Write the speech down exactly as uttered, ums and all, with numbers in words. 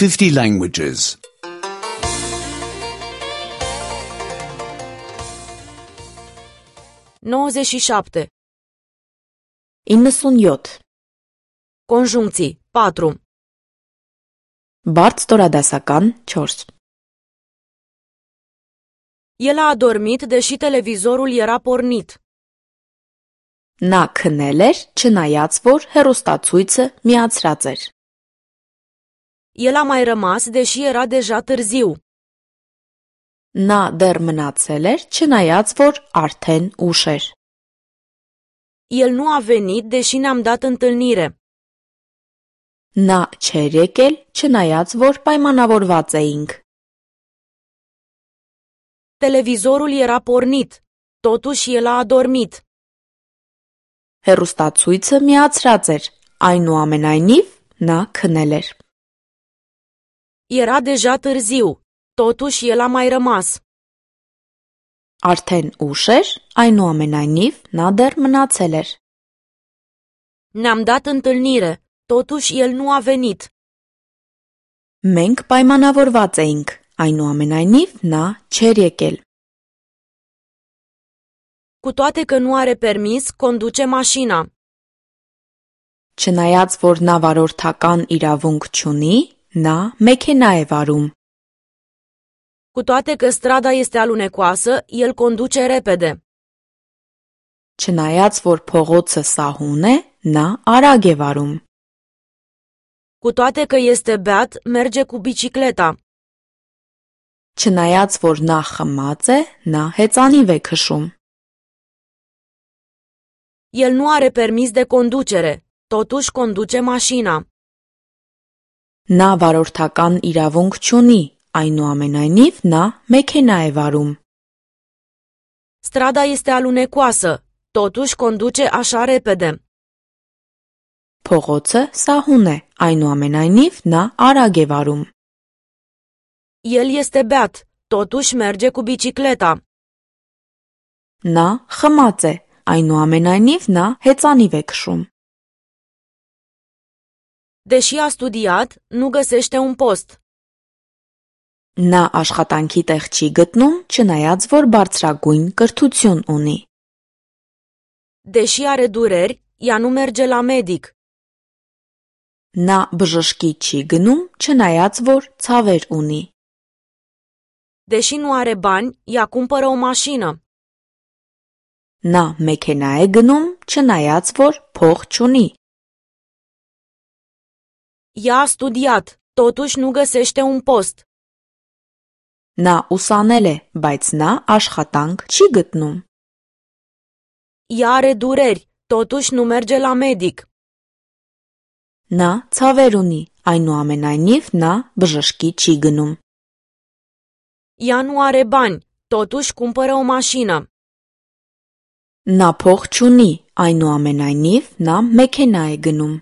fifty languages. nouăzeci și șapte. իննսունյոթ. Conjuncții. patru. Բարդ ստորադասական չորս. El a adormit deși televizorul era pornit. Նա քնել էր, չնայած որ հեռուստացույցը միացրած էր. El a mai rămas deși era deja târziu. Նա դեռ մնացել էր, չնայած որ արդեն ուշ էր. El nu a venit deși ne-am dat întâlnire. Նա չէր եկել, չնայած որ պայմանավորված էինք. Televizorul era pornit. Totuși el a adormit. Հեռուստացույցը միացրած էր, այնուամենայնիվ նա քնել էր. Era deja târziu. Totuși el a mai rămas. Արդեն ուշ էր, այնուամենայնիվ նա դեռ մնացել էր. Ne-am dat întâlnire. Totuși el nu a venit. Մենք պայմանավորված էինք, այնուամենայնիվ նա չէր եկել. Cu toate că nu are permis, conduce mașina. Չնայած որ նա վարորդական իրավունք չունի, նա մեքենա է վարում. Cu toate că strada este alunecoasă, el conduce repede. Չնայած որ փողոցը սահուն է, նա արագ է վարում. Cu toate că este beat, merge cu bicicleta. Չնայած որ նա խմած է, նա հեծանիվ է քշում. El nu are permis de conducere. Totuși conduce mașina. Նա վարորդական իրավունք չունի, այնուամենայնիվ նա մեքենա է վարում. Strada este alunecoasă. Totuși conduce așa repede. Փողոցը սահուն է, այնուամենայնիվ նա արագ է վարում. El este beat. Totuși merge cu bicicleta. Նա խմած է, այնուամենայնիվ նա հեծանիվ է քշում. Deși a studiat, nu găsește un post. Նա աշխատանքի տեղ չի գտնում, չնայած որ բարձրագույն կրթություն ունի. Deși are dureri, ea nu merge la medic. Նա բժշկի չի գնում, չնայած որ ցավեր ունի. Deși nu are bani, ea cumpără o mașină. Նա մեքենա է գնում, չնայած որ փող չունի. Ea a studiat, totuși nu găsește un post. Նա ուսանել է, բայց նա աշխատանք չի գտնում. Ea are dureri, totuși nu merge la medic. Նա ցավեր ունի, այնուամենայնիվ նա բժշկի չի գնում. Ea nu are bani, totuși cumpără o mașină. Նա փող չունի, այնուամենայնիվ նա մեքենա է գնում.